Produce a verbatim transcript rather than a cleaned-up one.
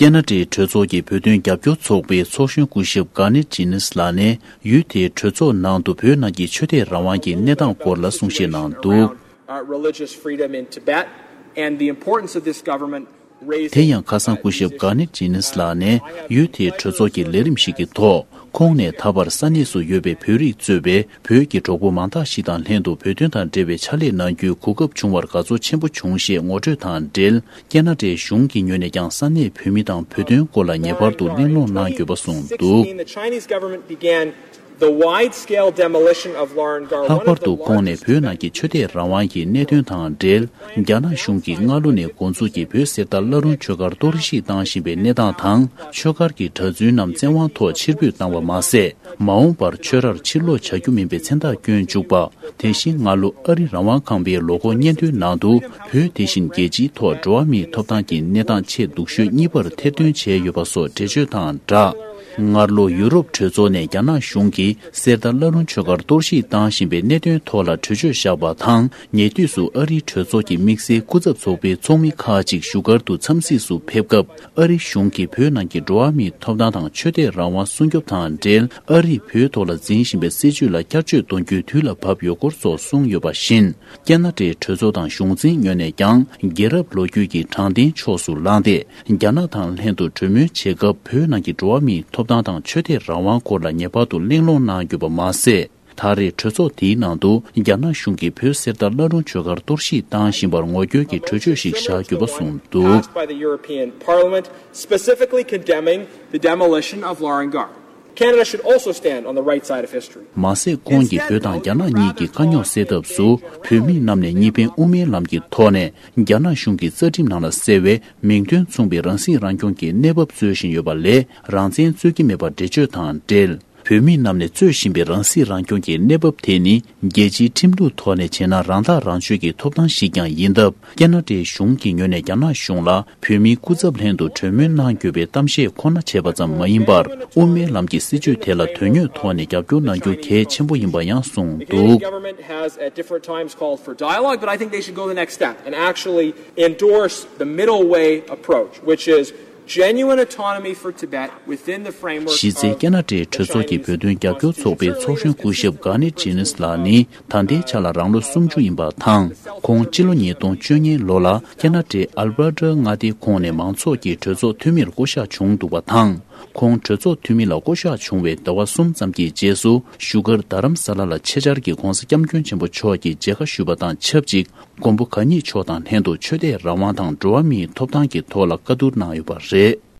ཁེ་ན་ཌའི་གྲོས་ཚོགས་ཀྱི་བོད་དོན་རྒྱབ་སྐྱོར་ཚོགས་པའི་ཚོགས་གཞོན་སྐུ་ཞབས་གྷ་ནི་ཇི་ནིས་ལགས་ནས། ཡུལ་དེའི་གྲོས་ཚོགས་ནང་དུ་བོད་ནང་གི་ཆོས་དད་རང་དབང་གི་གནས་སྟངས་སྐོར་ལ་གསུང་བཤད་གནང་འདུག uh, religious freedom in Tibet and the importance of this government raising. དེ་ཡང་ཁ་སང་སྐུ་ཞབས་གྷ་ནི་ཇི་ནིས་ལགས་ནས་ཡུལ་དེའི་གྲོས་ཚོགས་ཀྱི་ལས་རིམ་ཞིག་གི་ཐོག་ཁོང་ནས་ད་བར་ས་གནས་སུ་ཡོད་པའི་བོད་རིགས་གཙོས་པའི་བོད་ཀྱི་གྲོགས་པོ་མང་དག་ཞིག་དང་ལྷན་དུ་བོད་དོན་དང་འབྲེལ་བའི་ཕྱག་ལས་གནང་རྒྱུའི་གོ་སྐབས་བྱུང་བར་དགའ་ཚོར་ཆེན་པོ་བྱུང་ཞེས་ངོ་སྤྲོད་དང་འབྲེལ། ཁེ་ན་ཌའི་གཞུང་གི་ངོས་ནས་ཀྱང་ས་གནས་བོད་མི་དང་བོད་དོན་སྐོར་ལ་ངེས་པར་དུ་གླེང་སློང་གནང་དགོས་པ་གསུངས་འདུག The Wide-scale demolition of Lahr and Gar, ལྷག་པར་དུ་ཁོང་ནས་བོད་ནང་གི་ཆོས་དད་རང་དབང་གི་གནད་དོན་དང་འབྲེལ། རྒྱ་ནག་གཞུང་གིས་སྔ་ལོ་ནས་འགོ་འཛུགས་ཀྱིས་བོད་གསེར་རྟ་བླ་རུང་ཆོས་སྒར་གཏོར་བཤིག་བཏང་བཞིན་པའི་གནས་སྟངས་དང་། ཆོས་སྒར་གྱི་གྲྭ་བཙུན་རྣམས་བཙན་དབང་ཐོག་ཕྱིར་འབུད་བཏང་བ་མ་ཟད། མ་འོངས་པར་ཆོས་རར་ཕྱིར་ལོག་བྱ་རྒྱུ་མིན་པའི་མཚན་རྟགས་བསྐྱོན་བཅུག་པ། དེ་བཞིན་སྔ་ལོ་ཨ་རི་རང་དབང་ཁང་པའི་ལོ་འཁོར་སྙན་ཐོའི་ནང་དུ། བོད་དེ་བཞིན་རྒྱལ་སྤྱིའི་ཐོག་འགྲོ་བ་མིའི་ཐོབ་ཐང་གི་གནས་སྟངས་ཆེས་སྡུག་ཤོས་གཉིས་པར་ཐེར་འདོན་བྱས་ཡོད་པ་སོགས་འགྲེལ་བརྗོད་དང་སྦྲགས། སྔར་ལོ་ཡུ་རོབ་གྲོས་ཚོགས་ནས་རྒྱ་ནག་གཞུང་གིས་གསེར་རྟ་བླ་རུང་ཆོས་སྒར་གཏོར་བཤིག་བཏང་བཞིན་པའི་གནད་དོན་ཐོག་ལ་གྲོས་ཆོད་བཞག་པ་དང་། ཉེ་དུས་སུ་ཨ་རིའི་གྲོས་ཚོགས་ཀྱི་དམིགས་བསལ་སྐུ་ཚབ་ཚོགས་པའི་ཚོགས་མི་ཁག་ཅིག་བཞུགས་སྒར་དུ་འཚམས་གཟིགས་སུ་ཕེབས་སྐབས། ཨ་རི་གཞུང་གིས་བོད་ནང་གི་འགྲོ་བ་མིའི་ཐོབ་ཐང་དང་ཆོས་དད་རང་དབང་སྲུང་སྐྱོབ་དང་འབྲེལ། ཨ་རིས་བོད་ཐོག་ལ་འཛིན་བཞིན་པའི་སྲིད་བྱུས་ལ་བསྐྱར་བཅོས་གཏོང་རྒྱུའི་དུས་ལ་བབ་ཡོད་སྐོར་སོགས་གསུངས་ཡོད་པ་བཞིན། ཁེ་ན་ཌའི་གྲོས་ཚོགས་དང་གཞུང་འཛིན་ངོས་ནས་ཀྱང་། རྒྱལ་རབས་ལོ་རྒྱུས་ཀྱི་དྲང་བདེན་ཕྱོགས་སུ་ལངས་ཏེ། རྒྱ་ནག་དང་ལྷན་དུ་གྲོས་མོལ་བྱེད་སྐབས། བོད་ནང་གི་འགྲོ་བ་མིའི་ཐོབ་ཐང་དང་ཆོས་དད་རང་དབང་སྐོར་ལ་ངེས་པར་དུ་གླེང་སློང་གནང་དགོས་པ་མ་ཟད། ད་རེས་གྲོས་ཚོགས་འདིའི་ནང་དུ། རྒྱ་ནག་གཞུང་གིས་བོད་གསེར་རྟ་བླ་རུང་ཆོས་སྒར་གཏོར་བཤིག་བཏང་བཞིན་པར་ངོ་རྒོལ་གྱི་གྲོས་ཆོད་ཞིག་བཞག་དགོས་པ་གསུངས་འདུག Passed by the European Parliament, specifically condemning the demolition of Lahr and Gar. Canada should also stand on the right side of history. མ་ཟད། ཁོང་གིས་བོད་དང་རྒྱ་ནག་གཉིས་ཀྱི་དཀའ་རྙོག་སེལ་ཐབས་སུ། བོད་མི་རྣམས་ནས་གཉིས་ཕན་དབུ་མའི་ལམ་གྱི་ཐོག་ནས། རྒྱ་ནག་གཞུང་གི་རྩ་ཁྲིམས་ནང་ལ་གསལ་བའི་མིང་དོན་མཚུངས་པའི་རང་སྲིད་རང་སྐྱོང་གི་གནས་བབ་རྩོད་བཞིན་ཡོད་པ་ལས། རང་བཙན་རྩོད་ཀྱི་མེད་པར་འགྲེལ་བརྗོད་དང་འབྲེལ། བོད་མི་རྣམས་ནས་རྩོད་བཞིན་པའི་རང་སྲིད་རང་སྐྱོང་གི་གནས་བབ་དེ་ནི། རྒྱལ་སྤྱིའི་ཁྲིམས་ལུགས་ཐོག་ནས་བྱས་ན། རང་ཐག་རང་གཅོད་ཀྱི་ཐོབ་ཐང་ཞིག་ཀྱང་ཡིན་སྟབས། ཁེ་ན་ཌའི་གཞུང་གི་ངོས་ནས་རྒྱ་ནག་གཞུང་ལ། བོད་མིའི་སྐུ་ཚབ་ལྷན་དུ་གྲོས་མོལ་གནང་དགོས་པའི་གཏམ་བཤད་ཁོ་ན་བྱས་པ་ཙམ་མ་ཡིན་པར། དབུ་མའི་ལམ་གྱི་སྲིད་བྱུས་དེ་ལ་དོན་དངོས་ཐོག་ནས་རྒྱབ་སྐྱོར་གནང་རྒྱུ་གལ་ཆེན་པོ་ཡིན་པ་ཡང་གསུངས་འདུག Government has at different times called for dialogue, but I think they should go the next step and actually endorse the middle way approach, which is genuine autonomy for Tibet within the framework of གཞི་རྩའི་ཁེ་ན་ཌའི་གྲོས་ཚོགས་ཀྱི་བོད་དོན་རྒྱབ་སྐྱོར་ཚོགས་པའི་ཚོགས་གཞོན་སྐུ་ཞབས་གྷ་ནི་ཇི་ནིས་ལགས་ནི། ད་ལྟའི་ཆ་ལ་རང་ལོ་སུམ་ཅུ་ཡིན་པ་དང་། ཁོང་སྤྱི་ལོ་ཉིས་སྟོང་བཅུ་གཉིས་ལོ་ལ་ཁེ་ན་ཌའི་ཨལ་བྷར་ཊ་མངའ་སྡེའི་ཁོངས་ནས་མང་ཚོགས་ཀྱི་གྲོས་ཚོགས་འཐུས་མིར་བསྐོ་གཞག་བྱུང་འདུག་པ་དང་། ཁོང་གྲོས་ཚོགས་འཐུས་མི་ལ་བསྐོ་གཞག་བྱུང་བའི་ཟླ་བ་གསུམ་ཙམ་གྱི་རྗེས་སུ། བཞུགས་སྒར་རྡ་རམ་ས་ལ་ལ་ཆེད་བཅར་གྱིས་༧གོང་ས་༧སྐྱབས་མགོན་ཆེན་པོ་མཆོག་གི་མཇལ་ཁ་ཞུས་པ་དང་ཆབས་ཅིག། མགོན་པོ་གང་ཉིད་མཆོག་དང་ལྷན་དུ་ཆོས་དད་རང་དབང་དང་འགྲོ་བ་མིའི་ཐོབ་ཐང་གི་ཐོག་ལ་བཀའ་བསྡུར་གནང་ཡོད་པ་རེད།